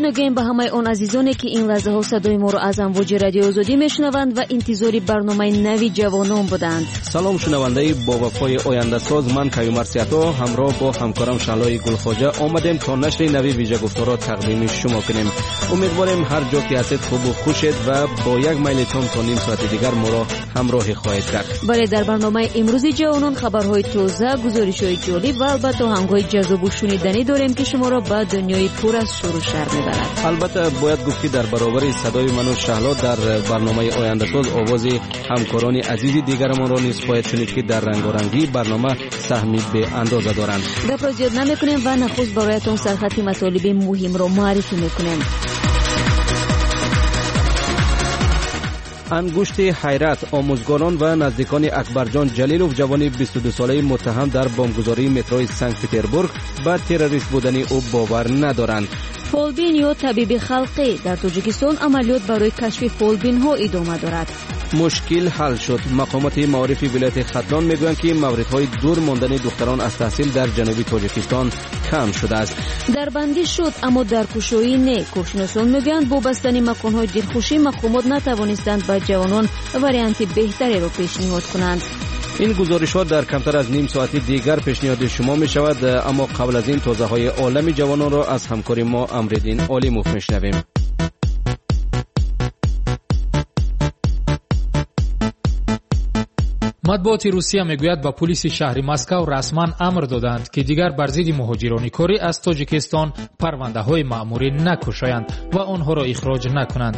Мегӯем ба ҳамаи он азизоне, ки ин лаҳзаҳо садои моро аз амвоҷи Радиои Озодӣ мешунаванд ва интизори барномаи нави ҷавонон буданд. Салом шунавандаи бовафои ояндасоз, ман Каюмар Сиато ҳамроҳ бо ҳамкорам Шаҳлои Гулхоҷа омадем то нашри нави вижагуфторро тақдими шумо кунем. Умедворем ҳар ҷо ки ҳастед хубу хушед ва бо як майлитон то ним соати дигар моро ҳамроҳӣ хоҳед кард. Бале, дар барномаи имрӯзи ҷавонон хабарҳои тоза, гузоришҳои ҷолиб ва албатта оҳангҳои ҷаззобу шуниданӣ дорем, ки шуморо ба дунёи пур аз шӯру шар мебарад. Албатта бояд гуфт, ки дар баробари садои ману Шаҳло дар барномаи ояндасоз овози ҳамкорони азизи дигарамонро низ хоҳед шунид, ки дар рангорангии барнома саҳми беандоза доранд. Гапро зиёд намекунем ва нахуст бароятон сархати матолиби муҳимро муаррифӣ мекунем. Ангушти ҳайрат, омӯзгорон ва наздикони Акбарҷон Ҷалилов, ҷавони 22-солаи муттаҳам дар бомбгузории метрои Санкт-Петербург, ба террорист будани ӯ бовар надоранд. Фолбин ё табиби халқӣ: дар Тоҷикистон амалиёт барои кашфи фолбинҳо идома дорад. Мушкил ҳал шуд. Мақомоти маорифи вилояти Хатлон мегӯянд, ки мавридҳои дур мондани духтарон аз таҳсил дар ҷануби Тоҷикистон кам шудааст. Дарбандӣ шуд, аммо даркушоӣ не. Коршиносон мегӯянд, бо бастани маконҳои дилхушӣ мақомот натавонистанд ба ҷавонон варианти беҳтареро пешниҳод кунанд. Ин гузоришҳо дар камтар аз ним соати дигар пешниҳоди шумо мешавад, аммо қабл аз ин тозаҳои олами ҷавононро аз ҳамкори мо Амриддин Олимов мешунавем. Матбуоти Русия мегӯяд, ба пулиси шаҳри Москав расман амр доданд, ки дигар бар зидди муҳоҷирони корӣ аз Тоҷикистон парвандаҳои маъмурӣ накушоянд ва онҳоро ихроҷ накунанд.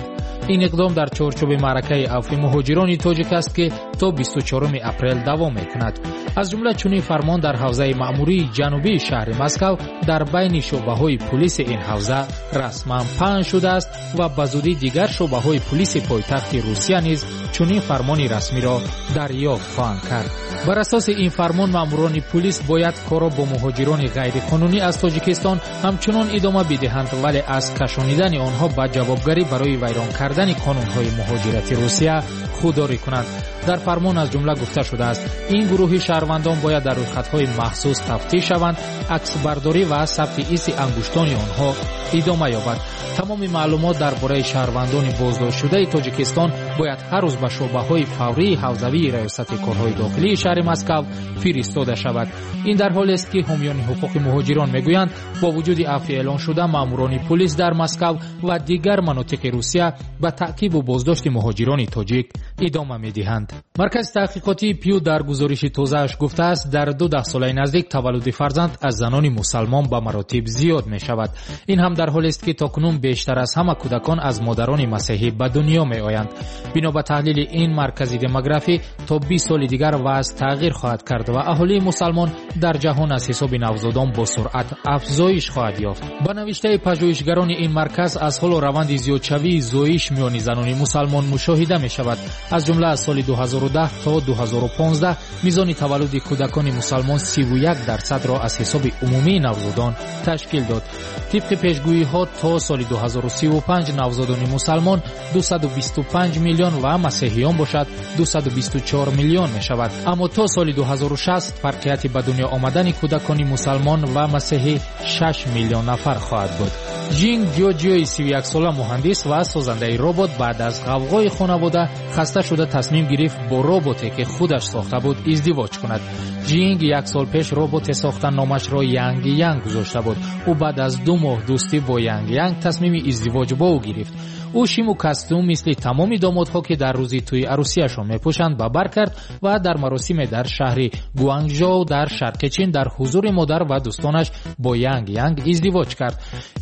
Ин иқдом дар чорчӯби маъракаи авфи муҳоҷирони тоҷик аст, ки то 24 апрел давом мекунад. Аз ҷумла чунин фармон дар ҳавзаи маъмурии ҷанубии шаҳри Москав дар байни шӯъбаҳои пулиси ин ҳавза расман паҳн шудааст ва ба зудӣ дигар шӯъбаҳои пулиси пойтахти Русия низ чунин фармони расмиро дарёфт хоҳанд кард. Бар асоси ин фармон маъмурони пулис бояд корро бо муҳоҷирони ғайриқонунӣ аз Тоҷикистон ҳамчунон идома бидиҳанд, вале аз кашонидани онҳо ба ҷавобгарӣ барои вайрон кардани қонунҳои муҳоҷирати Русия худдорӣ кунанд. Дар фармон аз ҷумла гуфта шудааст, ин гурӯҳи шаҳрвандон бояд дар рӯйхатҳои махсус тафтиш шаванд, аксбардорӣ ва сабти иси ангуштони онҳо идома ёбад. Тамоми маълумот дар бораи шаҳрвандони боздоштшудаи Тоҷикистон бояд ҳар рӯз ба шӯъбаҳои фаврии ҳавзавии раёсати корҳои дохилии шаҳри Москав фиристода шавад. Ин дар ҳолест, ки ҳомиёни ҳуқуқи муҳоҷирон мегӯянд, бо вуҷуди афви эълоншуда маъмурони пулис дар Москав ва дигар манотиқи Русия ба таъқибу боздошти муҳоҷирони тоҷик идома медиҳанд. Маркази таҳқиқотии Пью дар гузориши тозааш гуфтааст, дар 2 даҳсолаи наздик таваллуди фарзанд аз занони мусалмон ба маротиб зиёд мешавад. Ин ҳам дар ҳолест, ки то кунун бештар аз ҳама кӯдакон аз модарони масеҳӣ ба дунё меоянд. Бино ба таҳлили ин маркази демографӣ, то 20 соли дигар вазъ тағйир хоҳад кард ва аҳолии мусалмон дар ҷаҳон аз ҳисоби навзодон бо суръат афзоиш хоҳад ёфт. Ба навиштаи пажӯҳишгарони ин марказ, аз ҳоло раванди зиёдшавии зоиш миёни занони мусалмон мушоҳида мешавад. Аз ҷумла аз соли 2010 то 2015 мизони таваллуди кӯдакони мусалмон 31%-ро аз ҳисоби умумии навзодон ташкил дод. Тибқи пешгӯиҳо то соли 2035 навзодони мусалмон 225 миллион ва масеҳиён бошад 224 миллион мешавад. Аммо то соли 2060 фарқияти ба дунё омадани кӯдакони мусалмон ва масеҳӣ 6 миллион нафар хоҳад буд. Жинг Ҷоҷиои 31-сола муҳандис ва созандаи робот баъд аз ғавғои хонавода хаста шуда тасмим гирифт бо роботе, ки худаш сохта буд, издивоҷ кунад. Жинг як сол пеш роботе сохта номашро Янг Янг гузошта буд. Ӯ баъд аз 2 моҳ дӯстӣ бо Янг Янг тасмими издивоҷ бо ӯ гирифт. Ӯ шиму костюм мисли тамоми домодҳо, ки дар рӯзи тӯи арӯсияшон мепӯшанд, ба бар кард ва дар маросиме дар шаҳри Гуанчжоу дар шарқи Чин дар ҳузури модар ва дӯстонаш бо Янг Янг издивоҷ кард.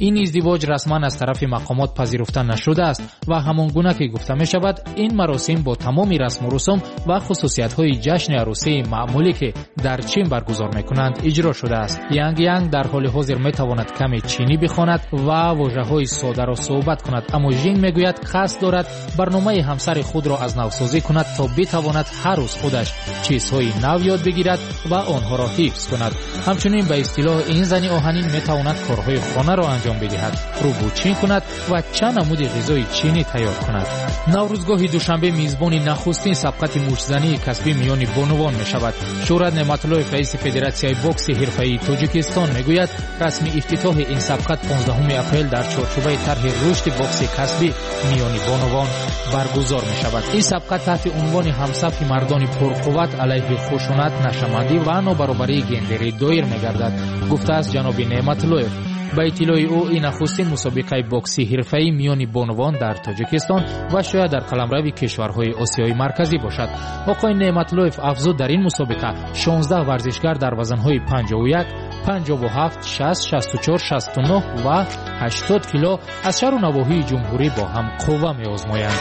Ин издивоҷ расман аз тарафи мақомот пазируфта нашудааст ва ҳамон гуна ки гуфта мешавад, ин маросим бо тамоми расму русум ва хусусиятҳои ҷашни арӯсии маъмулӣ, ки дар Чин баргузор мекунанд, иҷро шудааст. Янг Янг дар ҳоли ҳозир метавонад каме чинӣ бихонад ва вожаҳои содаро суҳбат кунад, аммо Жинг оҳанин мегӯяд қасд дорад барномаи ҳамсари худро аз навсозӣ кунад то битавонад ҳар рӯз худаш чизҳои нав ёд бигирад ва онҳоро ҳифз кунад. Ҳамчунин ба истилоҳ ин зани оҳанин метавонад корҳои хонаро анҷом бидиҳад, рӯбучин кунад ва чанд намуди ғизои чинӣ тайёр кунад. Наврӯзгоҳи Душанбе мизбони нахустин сабқати муштзании касбӣ миёни бонувон мешавад. Шӯҳрат Неъматуллоев, раиси Федератсияи бокси ҳирфаии Тоҷикистон, мегӯяд расми ифтитоҳи ин сабқат 15 апрел дар чорчӯбаи тарҳи рушди бокси касбӣ миёни бонувон баргузор мешавад. Ин сабқат таҳти унвони ҳамсафи мардони пурқувват алайҳи хушунат, нашамандӣ ва нобаробарии гендерӣ доир мегардад, гуфтааст ҷаноби Неъматуллоев. Ба иттилои ӯ ин нахустин мусобиқаи бокси ҳирфаӣ миёни бонувон дар Тоҷикистон ва шояд дар қаламрави кишварҳои Осиёи Марказӣ бошад. Оқои Неъматуллоев афзуд дар ин мусобиқа 16 варзишгар дар вазнҳои 51, 57, 60, 64, 69 ва 80 кило аз шаҳру навоҳии ҷумҳурӣ бо ҳам қувва меозмоянд.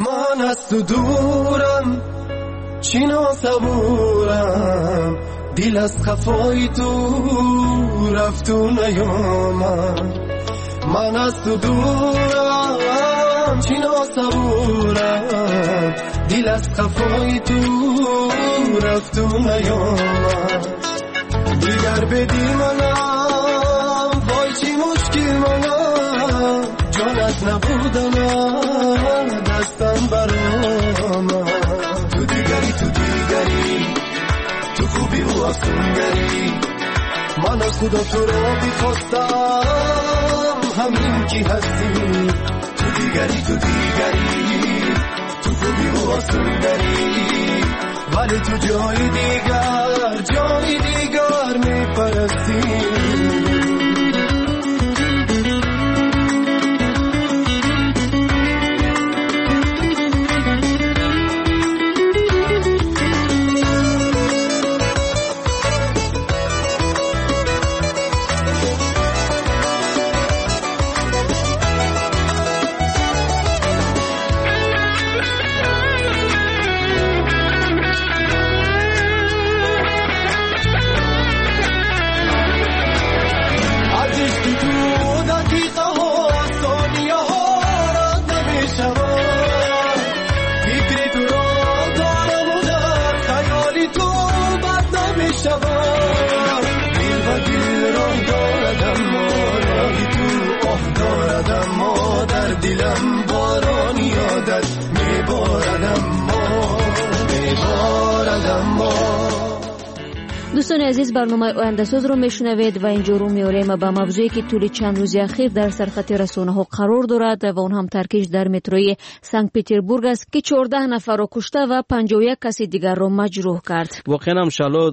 Ман аз ту дурам, чӣ носабурам, дил аз хафои ту рафту наёмад. Ман аз ту дурам, чӣ носабурам, дил аз хафои ту рафту наёмад. Дигар беди манам, вой чӣ мушкил манам, ҷонат набуданам, дастам баромад. Ту дигари, ту дигари, ту хуби ва афсунгари, ман аз худо туро бихостам, ҳамин ки ҳастӣ. Ту дигари, ту дигари, ту хуби ва афсунгари, вале ту ҷои дигар, ҷои дигар мепарастӣ. Дилам борони ёдат меборад, аммо меборад, аммо. Дӯстони азиз, барномаи ояндасозро мешунавед ва инҷо рӯ меорем ба мавзӯе ки тӯли чанд рӯзи ахир дар сархати расонаҳо қарор дорад ва он ҳам таркиш дар метрои Санкт-Петербург аст, ки 14 нафарро кушта ва 51 каси дигарро маҷрӯҳ кард. Воқеан ҳам Шаҳло,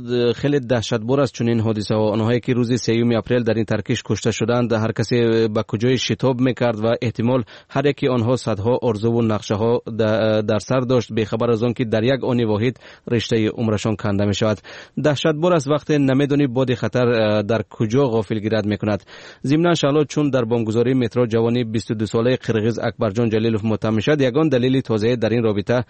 хеле даҳшатбор аст чунин ҳодисаҳо. Онҳое ки рӯзи 3 апрел дар ин таркиш кушта шуданд, ҳар касе ба куҷое шитоб мекард ва эҳтимол ҳар яке онҳо садҳо орзуву нақшаҳо дар сар дошт, бехабар аз он ки дар як они воҳид риштаи умрашон канда мешавад. Даҳшатбор аст вақте намедонӣ боди хатар дар куҷо ғофилгират мекунад. Зимнан Шаҳло, чун дар бомбгузории метро ҷавони 22-солаи қирғиз Акбарҷон Ҷалилов муттаҳам мешавад, ягон далели тозае дар ин робита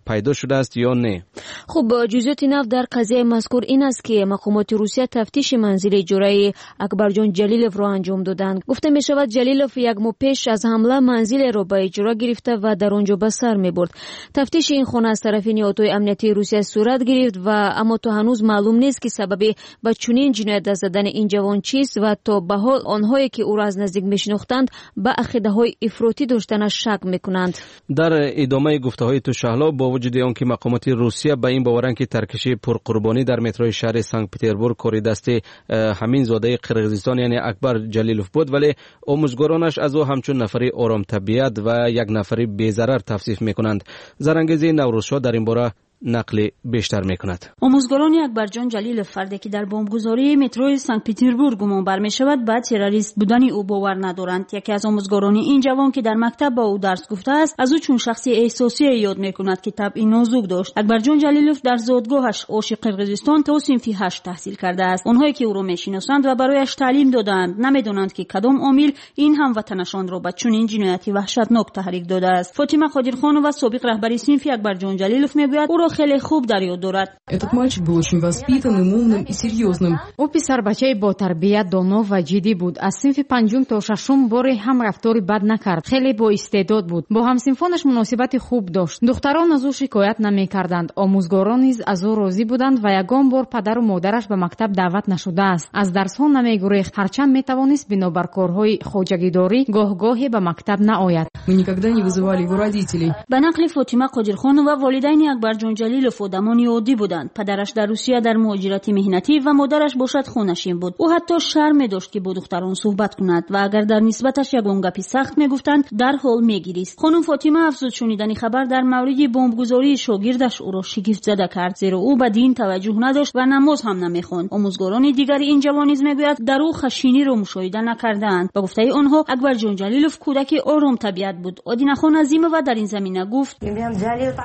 пайдо шудааст ё не? Хуб, ҷузъиёти нав дар қазияи мазкур ин аст, ки мақомоти Русия тафтиши манзили иҷораи Акбарҷон Ҷалиловро анҷом доданд. Гуфта мешавад, Ҷалилов як моҳ пеш аз ҳамла манзилеро ба иҷора гирифта ва дар он ҷо ба сар мебурд. Тафтиши ин хона аз тарафи ниҳодҳои амниятии Русия сурат гирифт ва аммо то ҳанӯз маълум нест ки сабаби ба чунин ҷиноят даст задани ин ҷавон чист ва то ба ҳол онҳое ки ӯро аз наздик мешинохтанд ба ақидаҳои ифротӣ доштанаш шак мекунанд. Дар идомаи гуфтаҳои ту Шаҳло, бо вуҷуди он ки мақомоти Русия ба ин боваранд ки таркиши пурқурбонӣ дар метрои шаҳри Санкт-Петербург кори дасти ҳамин зодаи Қирғизистон яъне Акбар Ҷалилов буд, вале омӯзгоронаш аз ӯ ҳамчун нафари оромтабиат ва як нафари безарар тавсиф мекунанд. Зарангези Наврӯзшоҳ дар ин бора нақли бештар мекунад. Омӯзгорони Акбарҷон Ҷалилов, фарде ки дар бомбгузории метрои Санкт-Петербург гумонбар мешавад, ба террорист будани ӯ бовар надоранд. Яке аз омӯзгорони ин ҷавон, ки дар мактаб ба ӯ дарс гуфтааст, аз ӯ чун шахси эҳсосие ёд мекунад, ки табъи нозук дошт. Акбарҷон Ҷалилов дар зодгоҳаш Оши Қирғизистон то синфи 8 таҳсил кардааст. Онҳое ки ӯро мешиносанд ва барояш таълим додаанд, намедонанд ки кадом омил ин ҳамватанашонро ба чунин ҷинояти ваҳшатнок таҳрик додааст. Фотима Қодирхонова, собиқ раҳбари синфи Акбарҷон Ҷалилов, мегӯяд ӯро хеле хуб дар ёд дорад. Этот мальчик был очень воспитанным, умным и серьезным. Ӯ писарбачаи ботарбият, доно ва ҷиддӣ буд. Аз синфи панҷум то шашум боре ҳам рафтори бад накард. Хеле боистеъдод буд. Бо ҳамсинфонаш муносибати хуб дошт. Духтарон аз ӯ шикоят намекарданд. Омӯзгорон низ аз ӯ розӣ буданд ва ягон бор падару модараш ба мактаб даъват нашудааст. Аз дарсҳо намегурехт, ҳарчанд метавонист бинобар корҳои хоҷагидорӣ гоҳ-гоҳе ба мактаб наояд. Мы никогда не вызывали его родителей. Ба нақли Фотима Қодирхонова, волидайни Акбарҷон Ҷалилов одамони оддӣ буданд. Падараш дар Русия дар муҳоҷирати меҳнатӣ ва модараш бошад хонашин буд. Ӯ ҳатто шарм медошт, ки бо духтарон суҳбат кунад ва агар дар нисбаташ ягон гапи сахт мегуфтанд, дарҳол мегирист. Хонум Фотима афзуд, шунидани хабар дар мавриди бомбгузории шогирдаш ӯро шигифтзада кард, зеро ӯ ба дин таваҷҷӯҳ надошт ва намоз ҳам намехонд. Омӯзгорони дигари ин ҷавон низ мегӯяд, дар ӯ хашиниро мушоҳида накардаанд. Ба гуфтаи онҳо, Акбарҷон Ҷалилов кӯдаки оромтабиат буд. Одинахон Азимова дар ин замина гуфт: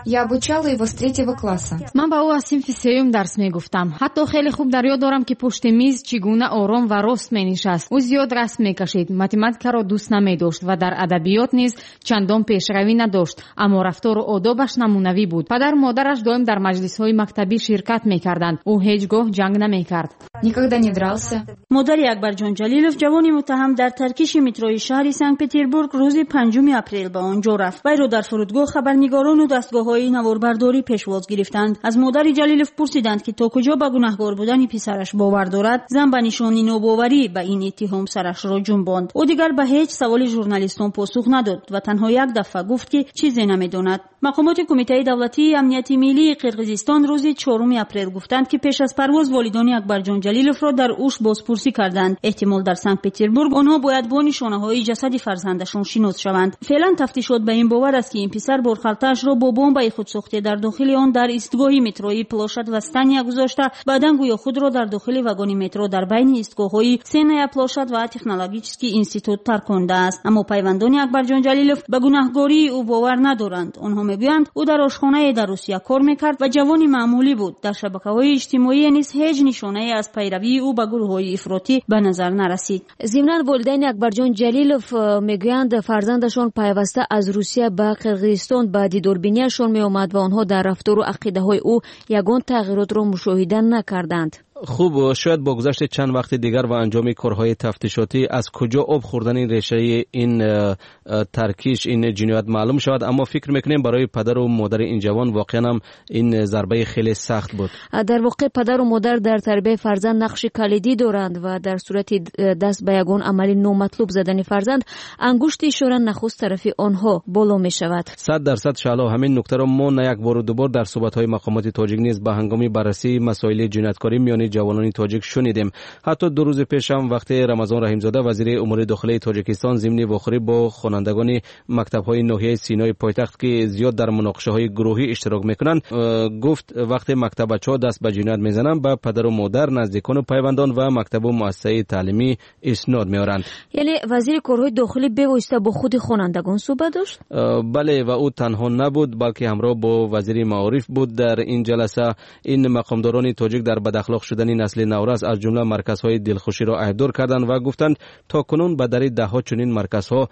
Я обучала его с третьего класса. Ман ба ӯ аз синфи сеюм дарс мегуфтам. Ҳатто хеле хуб дар ёд дорам, ки пушти миз чӣ гуна ором ва рост менишаст. Ӯ зиёд расм мекашид, математикаро дӯст намедошт ва дар адабиёт низ чандон пешравӣ надошт, аммо рафтору одобаш намунавӣ буд. Падару модараш доим дар маҷлисҳои мактабӣ ширкат мекарданд. Ӯ ҳеҷ гоҳ ҷанг намекард. Никогда не дрался. Модари Акбарҷон Ҷалилов, ҷавони муттаҳам дар таркиши метрои шаҳри Санкт-Петербург, рӯзи 5 апрел ба он ҷо рафт. Вайро дар фурудгоҳ хабарнигорону дастгоҳҳои наворбардорӣ пешвоз гирифтанд. Аз модари Ҷалилов пурсиданд, ки то куҷо ба гунаҳгор будани писараш бовар дорад. Зан ба нишони нобоварӣ ба ин иттиҳом сарашро ҷунбонд. Ӯ дигар ба ҳеҷ саволи журналистон посух надод ва танҳо як дафъа гуфт, ки чизе намедонад. Мақомоти Кумитаи давлатии амнияти миллии Қирғизистон рӯзи 4 апрел гуфтанд, ки пеш аз парвоз волидони Акбарҷон Ҷалиловро дар Уш бозпурсӣ карданд. Эҳтимол, дар Санкт-Петербург онҳо бояд бо нишонаҳои ҷасади фарзандашон шинос шаванд. Феълан тафтишот ба ин бовар аст, ки ин писар борхалтаашро бо бомбаи худсохта дар дохили он дар истгоҳи метрои Площадь Восстания гузошта, баъдан гӯё худро дар дохили вагони метро дар байни истгоҳҳои Сенная площадь ва Технологический институт таркондааст. Аммо пайвандони Акбарҷон Ҷалилов ба гунаҳгории ӯ бовар надоранд. Онҳо мегӯянд, ӯ дар ошхонае дар Русия кор мекард ва ҷавони маъмулӣ буд. Дар шабакаҳои иҷтимоӣ низ ҳеҷ нишонае аз пайравии ӯ ба гурӯҳҳои ифротӣ ба назар нарасид. Зимнан, волидайни Акбарҷон Ҷалилов мегӯянд, фарзандашон пайваста аз Русия ба Қирғизистон ба дидорбинияшон меомад ва онҳо дар рафтору ақидаҳои ӯ ягон тағйиротро мушоҳида накарданд. Хуб, шояд бо гузашти чанд вақти дигар ва анҷоми корҳои тафтишотӣ аз куҷо об хӯрдани решаи ин таркиш, ин ҷиноят маълум шавад, аммо фикр мекунем, барои падару модари ин ҷавон воқеан ҳам ин зарбаи хеле сахт буд. Дар воқеъ, падару модар дар тарбияи фарзанд нақши калидӣ доранд ва дар сурати даст ба ягон амали номатлуб задани фарзанд, ангушти ишора нахуст тарафи онҳо боло мешавад. 100%, Шаҳло. Ҳамин нуктаро мо на як бору дубор дар суҳбатҳои мақомоти тоҷик низ ба ҳангоми баррасии масоили ҷинояткорӣ миёни ҷавонони тоҷик шунидем. Ҳатто 2 рӯзи пешам, вақте Рамазон Раҳимзода, вазири умури дохилаи Тоҷикистон, зимни вохӯрӣ бо хонандагони мактабҳои ноҳияи Синои пойтахт, ки зиёд дар муноқишаҳои гурӯҳӣ иштирок мекунанд, гуфт, вақте мактабачаҳо даст ба ҷиноят мезананд, ба падару модар, наздикону пайвандон ва мактабу муассисаи таълимӣ иснод меоранд. Яъне вазири корҳои дохилӣ бевосита бо худи хонандагон суҳбат дошт? Бале, ва ӯ танҳо набуд, балки ҳамроҳ бо вазири маориф буд дар ин ҷаласа. Ин мақомдорони тоҷик дар бадахлоқ шудани насли наврас аз ҷумла марказҳои дилхуширо айбдор карданд ва гуфтанд, то кунун ба дари даҳҳо чунин марказҳо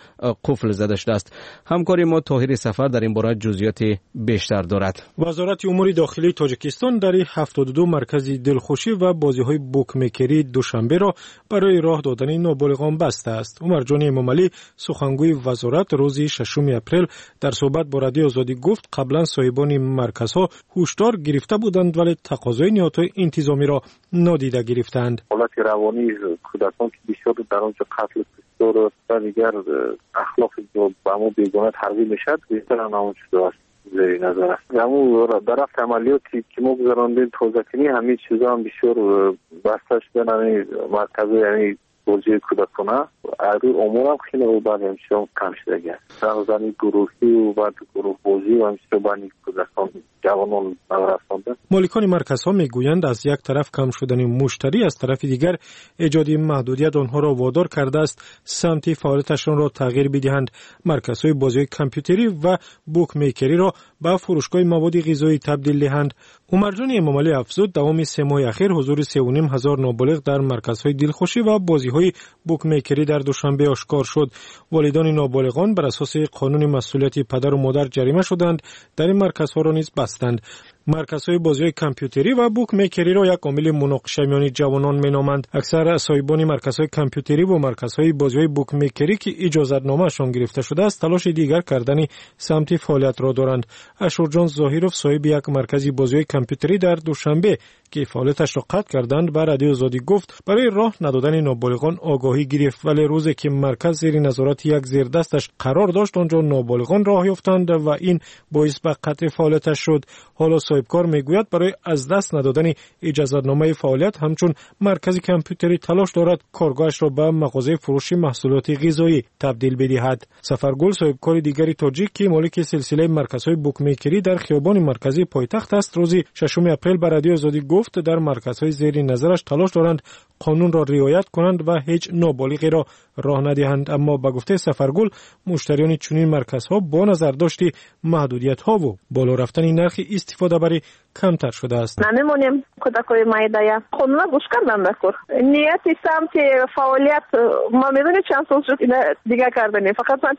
қуфл зада шудааст. Ҳамкори мо Тоҳири Сафар дар ин бора ҷузъиёти бештар дорад. Вазорати умури дохилии Тоҷикистон дари 72 маркази дилхушӣ ва бозиҳои букмекерии Душанберо барои роҳ додани ноболиғон бастааст. Умарҷони Эмомалӣ, сухангӯи вазорат, рӯзи 6 апрел дар суҳбат бо Радиои Озодӣ гуфт, қаблан соҳибони марказҳо ҳушдор гирифта буданд, вале тақозои ниҳодҳои интизомиро нодида гирифтаанд. Ҳолати равонии кӯдакон, ки бисёр дар он ҷо қатлу куштор ва дигар ахлоқи ба мо бегона тарғиб мешавад, бештар ҳамон шудааст, зери назар аст. Ҳамун дар рафти амалиёте ки мо гузарондем, тозакунӣ, ҳамин чизо ҳам бисёр баста шудан, ҳамин марказҳои ҳамин бозиҳои кӯдакона аз рӯи оморам хеле баъд ҳамчизо кам шудагӣ аст. Зани гурӯҳӣ баъд гурӯҳбозӣ ва ҳамчизо байни кӯдакон, ҷавонон наврасонда. Моликони марказҳо мегӯянд, аз як тараф кам шудани муштарӣ, аз тарафи дигар эҷоди маҳдудият онҳоро водор кардааст самти фаъолияташонро тағйир бидиҳанд. Марказҳои бозиҳои компютерӣ ва букмекериро ба фурӯшгоҳи маводи ғизоӣ табдил диҳанд. Умарҷони Эмомалӣ афзуд, давоми 3 моҳи ахир ҳузури 3500 ноболиғ дар марказҳои дилхушӣ ва бозиҳои букмекерӣ дар Душанбе ошкор шуд. Волидони ноболиғон бар асоси қонуни масъулияти падару модар ҷарима шуданд, дар ин марказҳоро низ бастанд. Марказҳои бозиҳои компютерӣ ва букмекериро як омили муноқиша миёни ҷавонон меноманд. Аксар соҳибони марказҳои компютерӣ ва марказҳои бозиҳои букмекерӣ, ки иҷозатномаашон гирифта шудааст, талоши дигар кардани самти фаъолиятро доранд. Ашурҷон Зоҳиров, соҳиби як маркази бозиҳои компютерӣ дар Душанбе, ки фаъолияташро қатъ карданд, ба Радиои Озодӣ гуфт, барои роҳ надодани ноболиғон огоҳӣ гирифт, вале рӯзе ки марказ зери назорати як зердасташ қарор дошт, он ҷо ноболиғон роҳ ёфтанд ва ин боис ба қатъи фаъолияташ шуд. Ҳоло соҳибкор мегӯяд, барои аз даст надодани иҷозатномаи фаъолият ҳамчун маркази компютерӣ талош дорад коргоҳашро ба мағозаи фурӯши маҳсулоти ғизоӣ табдил бидиҳад. Сафаргул, соҳибкори дигари тоҷик, ки молики силсилаи марказҳои букмекерӣ дар хиёбони марказии пойтахт аст, рӯзи 6 апрел ба Радиои Озодӣ гуфт, дар марказҳои зери назараш талош доранд қонунро риоят кунанд ва ҳеҷ ноболиғеро роҳ надиҳанд. Аммо ба гуфтаи Сафаргул, муштариёни чунин марказҳо бо назардошти маҳдудиятҳову боло рафтани нархи истифодабарӣ камтар шудааст. Намемонем кӯдакои майдая. Қонуна гӯш кардан дакор. Нияти самти фаъолият ма медонед чанд сол шуд ина дигар карданем. Фақат ман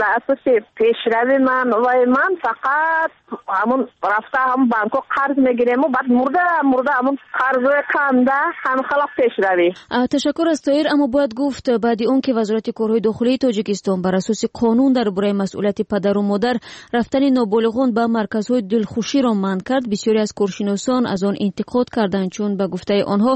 дар асоси пешрави ман вай ман фақат ҳамун рафта ҳамун банкҳо қарз мегирему баъд мурда мурда ҳамун қарзҳои канда ҳамин халақ пешравӣ. Ташаккур аз Тоир, аммо бояд гуфт, баъди он ки Вазорати корҳои дохилии Тоҷикистон бар асоси қонун дар бораи масъулияти падару модар рафтани ноболиғон ба марказҳои дилхуширо манъ кард, бисёре аз коршиносон аз он интиқод карданд, чун ба гуфтаи онҳо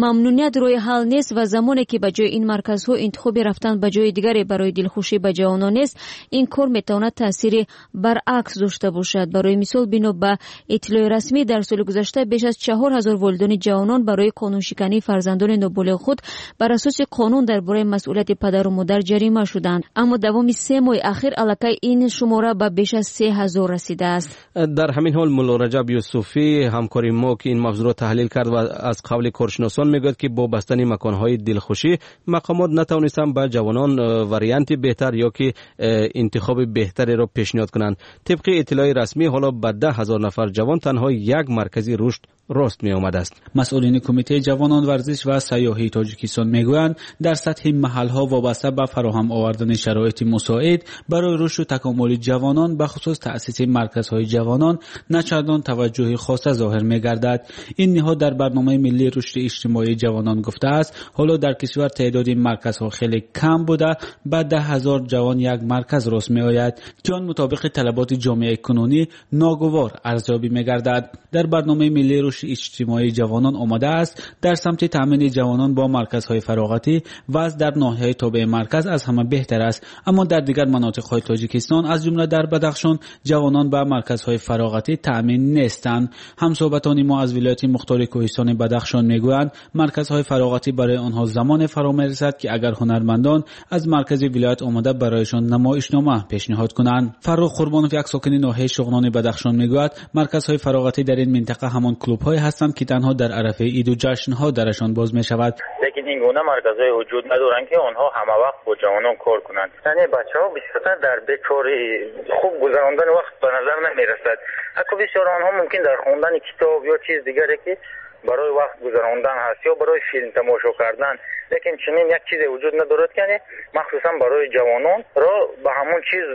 мамнуният роҳи ҳал нест ва замоне ки ба ҷои ин марказҳо интихоби рафтан ба ҷои дигаре барои дилхушӣ ба ҷавонон нест, ин кор метавонад таъсири баръакс дошта бошад. Барои мисол, бино ба иттилои расмӣ, дар соли гузашта беш аз 4000 волидони ҷавонон барои қонуншикании фарзандони ноболиғ худ бар асоси қонун дар бораи масъулияти падару модар ҷарима шуданд. Аммо давоми 3 моҳи ахир аллакай ин шумора ба беш аз 3000 расидааст. Дар ҳамин ҳол Мулло Раҷаб Юсуфӣ, ҳамкори мо, ки ин мавзӯъро таҳлил кард ва аз қавли коршиносон мегӯяд, ки бо бастани маконҳои дилхушӣ мақомот натавонистанд ба ҷавонон варианти беҳтар ё ки интихоби беҳтареро пешниҳод кунанд. Тибқи иттилои расмӣ, ҳоло ба 10 000 нафар ҷавон танҳо як маркази рушд рост меомадааст. Масъулини Кумитаи ҷавонон, варзиш ва сайёҳии Тоҷикистон мегӯянд, дар сатҳи маҳалҳо вобаста ба фароҳам овардани шароити мусоид барои рушду такомули ҷавонон, ба хусус таъсиси марказҳои ҷавонон, на чандон таваҷҷӯҳи хоса зоҳир мегардад. Ин ниҳод дар барномаи миллии рушди иҷтимоии ҷавонон гуфтааст, ҳоло дар кишвар теъдоди марказҳо хеле кам буда, ба 10 000 ҷавон як марказ рост меояд, ки он мутобиқи талаботи ҷомеаи кунунӣ ногувор арзёбӣ мегардад. Дар барномаи миллии рушди иҷтимоии ҷавонон омадааст, дар самти таъмини ҷавонон бо марказҳои фароғатӣ вазъ дар ноҳияи тобеи марказ аз ҳама беҳтар аст, аммо дар дигар манотиқҳои Тоҷикистон, аз ҷумла дар Бадахшон, ҷавонон ба марказҳои фароғатӣ таъмин нестанд. Ҳамсӯҳбатони мо аз вилояти мухтори кӯҳистони Бадахшон мегӯянд, марказҳои фароғатӣ барои онҳо замоне фаро мерасад, ки агар ҳунармандон аз маркази вилоят омада барояшон намоишнома пешниҳод кунанд. Фаррух Қурбонов, як сокини ноҳияи Шуғнони Бадахшон, мегӯяд, марказҳои фароғатӣ дар ин минтақа ҳамон клубҳое ҳастанд, ки танҳо дар арафаи иду ҷашнҳо дарашон боз мешавад. Лекин ин гуна марказҳое вуҷуд надоранд, ки онҳо ҳамавақт бо ҷавонон кор кунанд. Яъне бачаҳо бисёртар дар бекорӣ хуб гузарондани вақт ба назар намерасад. Ҳатто бисёр онҳо мумкин дар хондани китоб ё чиз дигаре, ки барои вақт гузарондан ҳаст, ё барои филм тамошо кардан, лекин чунин як чизе вуҷуд надорад, ки яъне махсусан барои ҷавонон ро ба ҳамон чиз,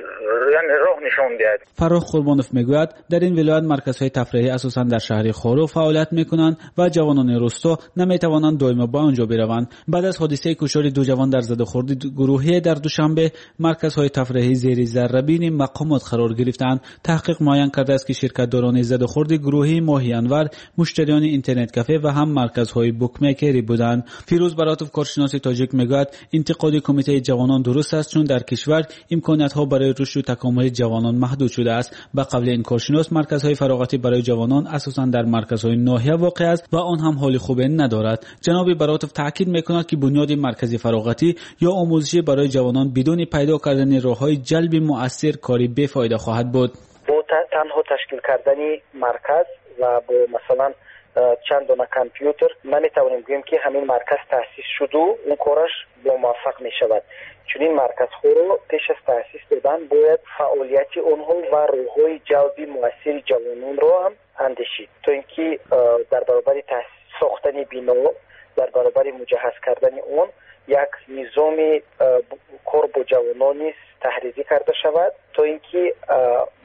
яъне роҳ нишон диҳад. Фаррух Қурбонов мегӯяд, дар ин вилоят марказҳои тафриҳӣ асосан дар шаҳри Хоруғ фаъолият мекунанд ва ҷавонони русто наметавонанд доимо ба он ҷо бираванд. Баъд аз ҳодисаи куштори ду ҷавон дар задухӯрди гурӯҳие дар Душанбе, марказҳои тафриҳӣ зери заррабини мақомот қарор гирифтаанд. Таҳқиқ муайян кардааст, ки ширкатдорони задухӯрди гурӯҳии моҳи январ муштариёни интернет-кафе ва ҳам марказҳои букмекерӣ буданд. Фирӯз Баротов, коршиноси тоҷик, мегӯяд, интиқоди Кумитаи ҷавонон дуруст аст, чун дар кишвар имкониятҳо барои рушду такомули ҷавонон маҳдуд шудааст. Ба қавли ин коршинос, марказҳои фароғатӣ барои ҷавонон асосан дар марказҳои ноҳия воқеъ аст ва он ҳам ҳоли хубе надорад. Ҷаноби Баротов таъкид мекунад, ки бунёди маркази фароғатӣ ё омӯзишӣ барои ҷавонон бидуни пайдо кардани роҳҳои ҷалби муассир кори бефоида хоҳад буд. Бо танҳо ташкил кардани марказ ва бо масалан чанд дона компютер наметавонем гӯем, ки ҳамин марказ таъсис шуду он кораш бомуваффақ мешавад. Чунин марказҳоро пеш аз таъсис додан бояд фаъолияти онҳо ва роҳҳои ҷалби муассири ҷавононро ҳам андешид, то ин ки дар баробари сохтани бино, дар баробари муҷаҳҳаз кардани он, як низоми кор бо ҷавонон низ таҳрирӣ карда шавад, то ин ки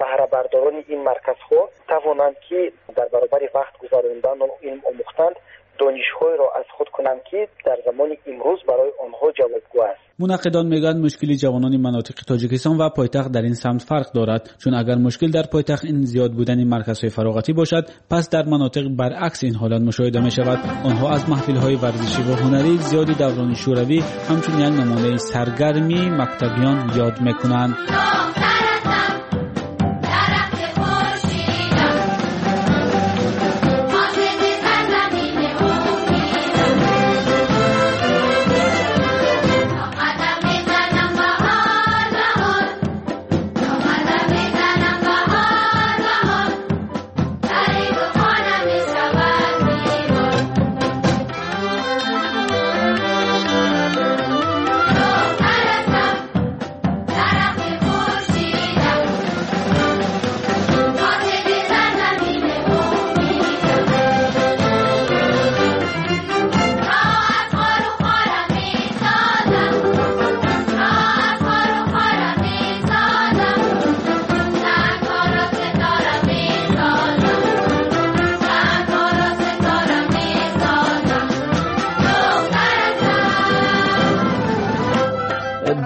баҳрабардорони ин марказҳо тавонанд, ки дар баробари вақт гузарондану илм омӯхтанд, донишҳоеро аз худ кунанд, ки дар замони имрӯз барои онҳо ҷавобгӯ аст. Мунаққидон мегӯянд, мушкили ҷавонони манотиқи Тоҷикистон ва пойтахт дар ин самт фарқ дорад, чун агар мушкил дар пойтахт ин зиёд будани марказҳои фароғатӣ бошад, пас дар манотиқ баръакс ин ҳолат мушоҳида мешавад. Онҳо аз маҳфилҳои варзишӣ ва ҳунарии зиёди даврони шӯравӣ ҳамчун як намунаи саргармии мактабиён ёд мекунанд.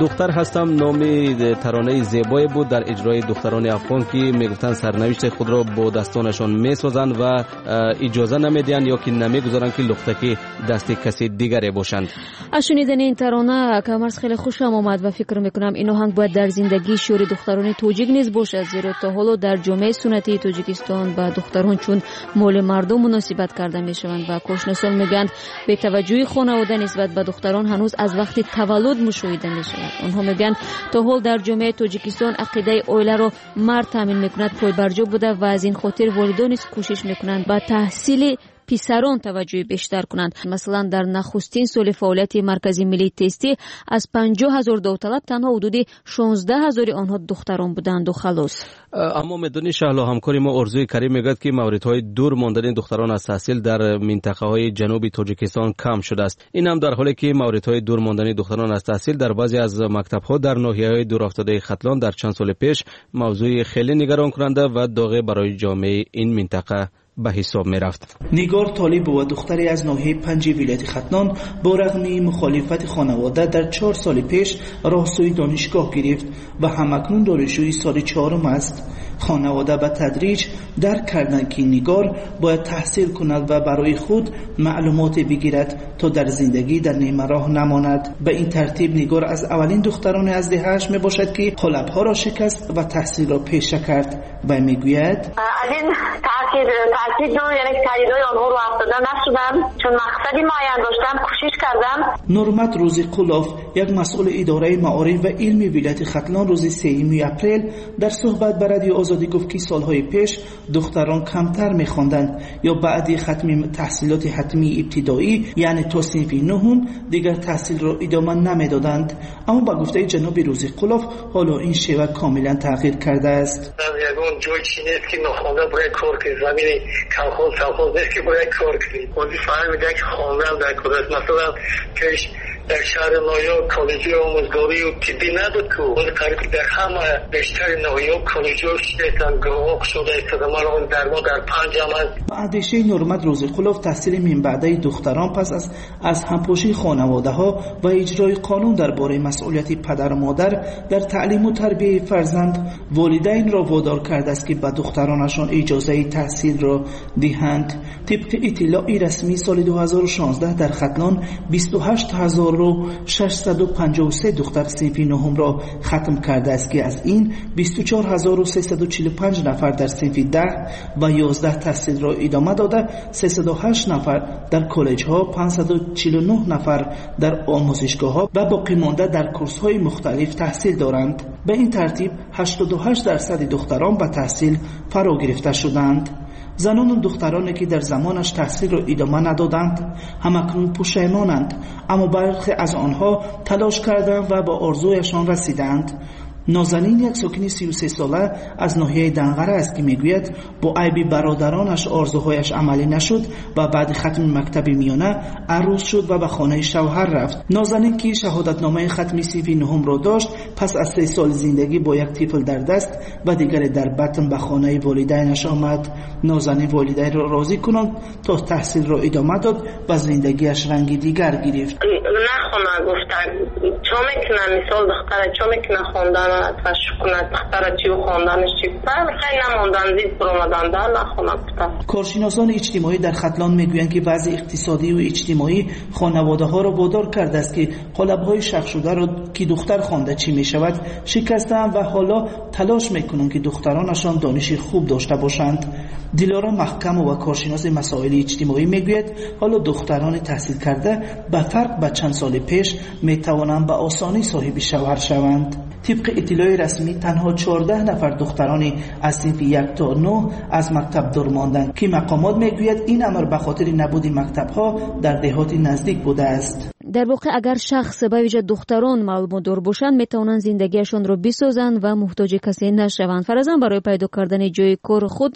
Духтар ҳастам номи таронаи зебое буд дар иҷрои духтарони афғон, ки мегуфтанд сарнавишти худро бо дастонашон месозанд ва иҷоза намедиҳанд ё ки намегузоранд, ки лухтаки дасти каси дигаре бошанд. Аз шунидани ин тарона Камарс хеле хушам омад ва фикр мекунам ин оҳанг бояд дар зиндагии шиёри духтарони тоҷик низ бошад, зеро то ҳоло дар ҷомеаи суннатии Тоҷикистон ба духтарон чун моли мардум муносибат карда мешаванд ва коршиносон мегӯянд, бетаваҷҷӯҳии хонавода нисбат ба духтарон ҳанӯз аз вақти таваллуд мушоҳида мешавад. Онҳо мегӯянд, то ҳол дар ҷомеаи Тоҷикистон ақидаи оиларо мард таъмин мекунад пойбарҷо буда ва аз ин хотир волидон низ кӯшиш мекунанд ба таҳсили писарон таваҷҷӯҳи бештар кунанд. Масалан, дар нахустин соли фаъолияти Маркази миллии тестӣ аз 50 ҳазор довталаб танҳо ҳудуди 16 ҳазори онҳо духтарон буданду халос. Аммо медонӣ, Шаҳло, ҳамкори мо Орзуи Карим мегӯяд, ки мавридҳои дур мондани духтарон аз таҳсил дар минтақаҳои ҷануби Тоҷикистон кам шудааст. Ин ҳам дар ҳоле ки мавридҳои дур мондани духтарон аз таҳсил дар баъзе аз мактабҳо дар ноҳияҳои дурафтодаи Хатлон дар чанд соли пеш мавзӯи хеле нигаронкунанда ва доғе барои ҷомеаи ин минтақа ба ҳисоб мерафт. Нигор Толибова, духтаре аз ноҳияи Панҷи вилояти Хатлон, бо рағми мухолифати хонавода дар 4 соли пеш роҳ сӯи донишгоҳ гирифт ва ҳамакнун донишҷӯи соли 4 аст. Хонавода ба тадриҷ дарк карданд, ки Нигор бояд таҳсил кунад ва барои худ маълумоте бигирад, то дар зиндагӣ дар нимароҳ намонад. Ба ин тартиб Нигор аз аввалин духтарони аз деҳааш мебошад, ки қолабҳоро шикаст ва таҳсилро пеша кард. Ва мегӯяд: аз ин таъкиду яъне таҳдидҳои онҳо рӯ афтода нашудам, чун мақсади муайян доштам, кӯшиш кардам. Нурмат Рӯзиқулов, як масъули идораи маориф ва илми вилояти Хатлон, рӯзи 3 апрел дар суҳбат ба Радиои Озодӣ гуфт, ки солҳои пеш духтарон камтар мехонданд ё баъди хатми таҳсилоти ҳатмии ибтидоӣ, яъне то синфи 9, дигар таҳсилро идома намедоданд. Аммо ба гуфтаи ҷаноби Рӯзиқулов, ҳоло ин шева комилан тағйир кардааст. Ягон ҷой чи нест, ки нохонда бояд кор кунӣ. Замини колхоз совхоз нест, ки бояд кор кунӣ. Ҳозир фаҳмида, ки хондан дар кор аст. Масалан, пеш дар шаҳри ноҳия коллеҷи омӯзгорию тиббӣ набуд, ку ҳозир қариб ки дар ҳама бештари ноҳияҳо коллеҷҳо шудаистанд, гурӯҳҳо кушода истода. Ман ҳозир дар мо дар 5 ҳам аст. Ба андешаи Нурмат Рӯзиқулов, таҳсили минбаъдаи духтарон пас аз ҳампӯшии хонаводаҳо ва иҷрои қонун дар бораи масъулияти падару модар дар таълиму тарбияи фарзанд волидайнро водор кардааст, ки ба духтаронашон иҷозаи таҳсилро диҳанд. Тибқи иттилои расмии соли 2016 дар Хатлон 28653 духтар синфи 9-ро хатм кардааст, ки аз ин 24345 нафар дар синфи 10 ва 11 таҳсилро идома дода, 308 нафар дар коллеҷҳо, 549 нафар дар омӯзишгоҳҳо ва боқимонда дар курсҳои мухталиф таҳсил доранд. Ба ин тартиб 88% духтарон ба таҳсил фаро гирифта шуданд. Занону духтароне, ки дар замонаш таҳсилро идома надоданд, ҳамакнун пушаймонанд, аммо бархе аз онҳо талош карданд ва ба орзуяшон расиданд. Нозанин як сокини 33-сола аз ноҳияи Данғара аст, ки мегӯяд, бо айби бародаронаш орзуҳояш амалӣ нашуд ва баъди хатми мактаби миёна арӯс шуд ва ба хонаи шавҳар рафт. Нозанин, ки шаҳодатномаи хатми синфи нуҳумро дошт, пас аз 3 соли зиндагӣ бо як тифл дар даст ва дигаре дар батн ба хонаи волидайнаш омад. Нозанин волидайнро розӣ кунанд то таҳсилро идома дод ва зиндагиаш ранги дигар гирифт. Нахона гуфтан, чо мекунам, мисол духтара чо мекунам хондана ташкунад, духтара чӣ хонданаш чӣ хай намондан, зид баромадан да нахона гуфтан. Коршиносони иҷтимоӣ дар Хатлон мегӯянд, ки вазъи иқтисодию иҷтимоӣ хонаводаҳоро водор кардааст, ки қолабҳои шахшударо, ки духтар хонда чӣ мешавад, шикастаанд ва ҳоло талош мекунанд, ки духтаронашон дониши хуб дошта бошанд. Дилоро Маҳкамова, коршиноси масоили иҷтимоӣ, мегӯяд, ҳоло духтарони таҳсилкарда ба фарқ ба чанд соли пеш метавонанд ба осонӣ соҳиби шавҳар шаванд. Тибқи иттилои расмӣ, танҳо 14 нафар духтарони аз синфи 1 то 9 аз мактаб дур монданд, ки мақомот мегӯяд, ин амр ба хотири набуди мактабҳо дар деҳоти наздик будааст. Дар воқеъ, агар шахс, ба вижа духтарон, маълумотдор бошанд, метавонанд зиндагиашонро бисозанд ва муҳтоҷи касе нашаванд. Фаразан, барои пайдо кардани ҷои кори худ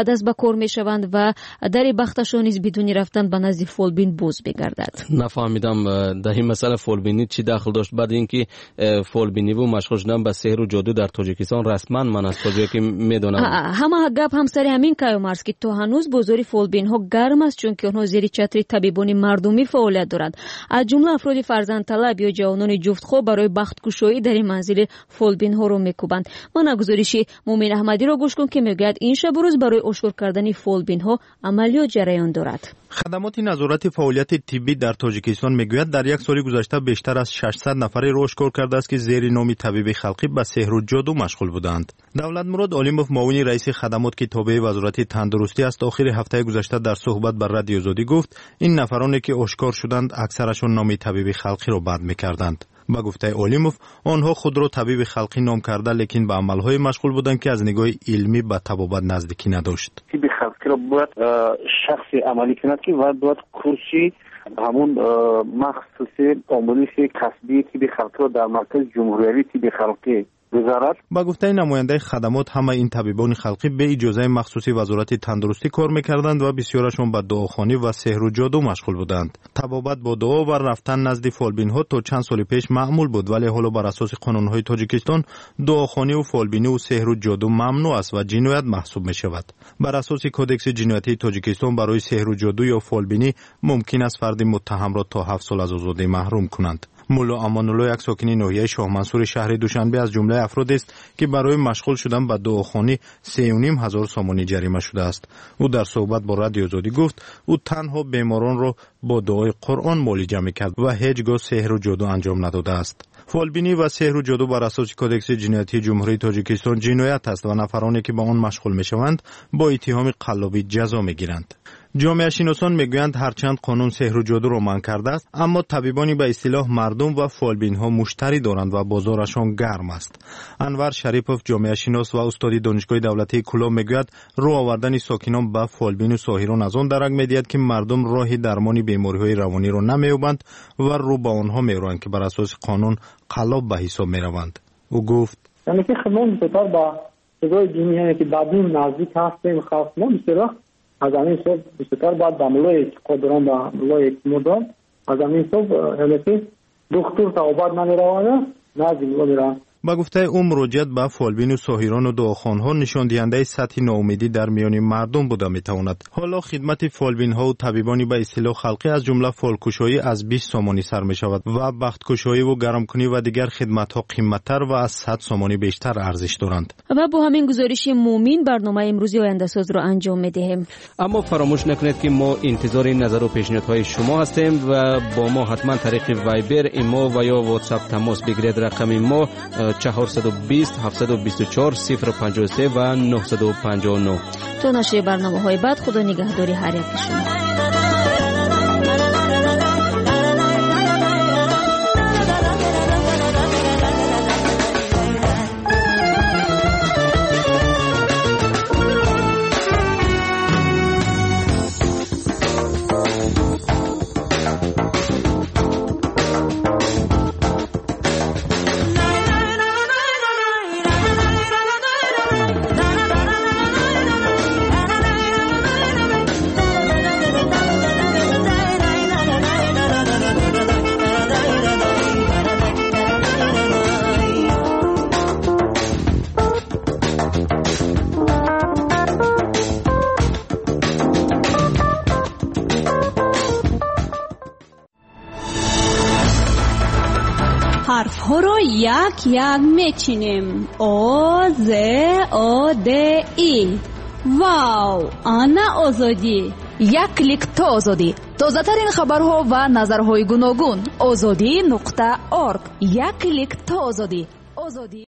даст ба кор мешаванд ва дари бахташон низ бидуни рафтан ба назди фолбин боз мегардад. Нафаҳмидам, дар ин масъала фолбинӣ чӣ дахл дошт, баъд ин ки фолбиниву машғул шудан ба сеҳру ҷоду дар Тоҷикистон расман ман аз то ҷое ки медонам. Ҳама гап ҳам сари ҳамин, Каюмарс, ки то ҳанӯз бозори фолбинҳо гарм аст, чунки онҳо зери чатри табибони мардумӣ фаъолият доранд. Аз ҷумла афроди фарзандталаб ё ҷавонони ҷуфтхоб барои бахткушоӣ дар ин манзили фолбинҳоро мекӯбанд. Мана гузориши Мумин Аҳмадиро гӯш кун, ки мегӯяд, ин шабу рӯз барои ошкор кардани фолбинҳо амалиёт ҷараён дорад. Хадамоти назорати фаъолияти тиббӣ дар Тоҷикистон мегӯяд, дар як соли гузашта бештар аз 600 нафареро ошкор кардааст, ки зери номи табиби халқӣ ба сеҳру ҷоду машғул буданд. Давлатмурод Олимов, муовини раиси хадамот, ки тобеи Вазорати тандурустӣ аст, охири ҳафтаи гузашта дар суҳбат ба Радиои Озодӣ гуфт, ин нафароне ки ошкор шуданд, аксарашон номи табиби халқиро бад мекарданд. Ба гуфтаи Олимов, онҳо худро табиби халқӣ ном карда, лекин ба амалҳое машғул буданд, ки аз нигоҳи илмӣ ба табобат наздикӣ надошт. Тибби халқиро бояд шахсе амалӣ кунад, ки бояд курси ҳамун махсуси омӯзиши касбии тибби халқиро дар маркази ҷумҳуриявии тибби халқӣ гузарад. Ба гуфтаи намояндаи хадамот, ҳамаи ин табибони халқӣ бе иҷозаи махсуси Вазорати тандурустӣ кор мекарданд ва бисёрашон ба дуохонӣ ва сеҳру ҷоду машғул буданд. Табобат бо дуо ва рафтан назди фолбинҳо то чанд соли пеш маъмул буд, вале ҳоло бар асоси қонунҳои Тоҷикистон дуохониву фолбиниву сеҳру ҷоду мамнӯъ аст ва ҷиноят маҳсуб мешавад. Бар асоси Кодекси ҷиноятии Тоҷикистон, барои сеҳру ҷоду ё фолбинӣ мумкин аст фарди муттаҳамро то 7 сол аз озодӣ маҳрум кунанд. Мулло Амонулло, як сокини ноҳияи Шоҳмансури шаҳри Душанбе, аз ҷумлаи афродест, ки барои машғул шудан ба дуохонӣ 3500 сомонӣ ҷарима шудааст. Ӯ дар суҳбат бо Радиои Озодӣ гуфт, ӯ танҳо беморонро бо дуои Қуръон муолиҷа мекард ва ҳеҷ гоҳ сеҳру ҷоду анҷом надодааст. Фолбинӣ ва сеҳру ҷоду бар асоси Кодекси ҷиноятии Ҷумҳурии Тоҷикистон ҷиноят аст ва нафароне ки ба он машғул мешаванд, бо иттиҳоми қаллобӣ ҷазо мегиранд. Ҷомеашиносон мегӯянд, ҳарчанд қонун сеҳру ҷодуро манъ кардааст, аммо табибони ба истилоҳ мардум ва фолбинҳо муштарӣ доранд ва бозорашон гарм аст. Анвар Шарипов, ҷомеашинос ва устоди Донишгоҳи давлатии Кӯлоб, мегӯяд, рӯ овардани сокинон ба фолбину соҳирон аз он дарак медиҳад, ки мардум роҳи дармони бемориҳои равониро намеёбанд ва рӯ ба онҳо мероянд, ки бар асоси қонун қаллоб ба ҳисоб мераванд. Ӯ гуфт: яъне ки мо бисёртар ба чизҳои динӣ, яъне ки ба дин наздик ҳастем, халқ мо бисёр вақт аз ҳамин ҳисоб бисёртар бояд ба мулло эътиқод дорам, ба мулло эътимод дорам. Аз ҳамин ҳисоб, яъне ки духтур табобат намераванд, назди мулло мераванд. Ба гуфтаи ӯ, муроҷиат ба фолбину соҳирону дуохонҳо нишондиҳандаи сатҳи ноумедӣ дар миёни мардум буда метавонад. Ҳоло хидмати фолбинҳову табибони ба истилоҳ халқӣ, аз ҷумла фолкушоӣ, аз 20 сомонӣ сар мешавад ва бахткушоиву гармкунӣ ва дигар хидматҳо қимматтар ва аз 100 сомонӣ бештар арзиш доранд. Ва бо ҳамин гузориши Мумин барномаи имрӯзи Ояндасозро анҷом медиҳем. Аммо фаромӯш накунед, ки мо интизори назару пешниҳодҳои шумо ҳастем ва бо мо ҳатман тариқи Вайбер, Имо ва ё Ватсап тамос бигиред. Рақами мо 420 724 053 ва 959. То нашри барномаҳои баъд, Худо нигаҳдори ҳар яки шумо. як як мечинем. О, З, О, Д, И. Вау, ана озодӣ! Як клик то озодӣ. Тозатарин хабарҳо ва назарҳои гуногун. Озодӣ нуқта орг. Як клик то озодӣ. Озодӣ.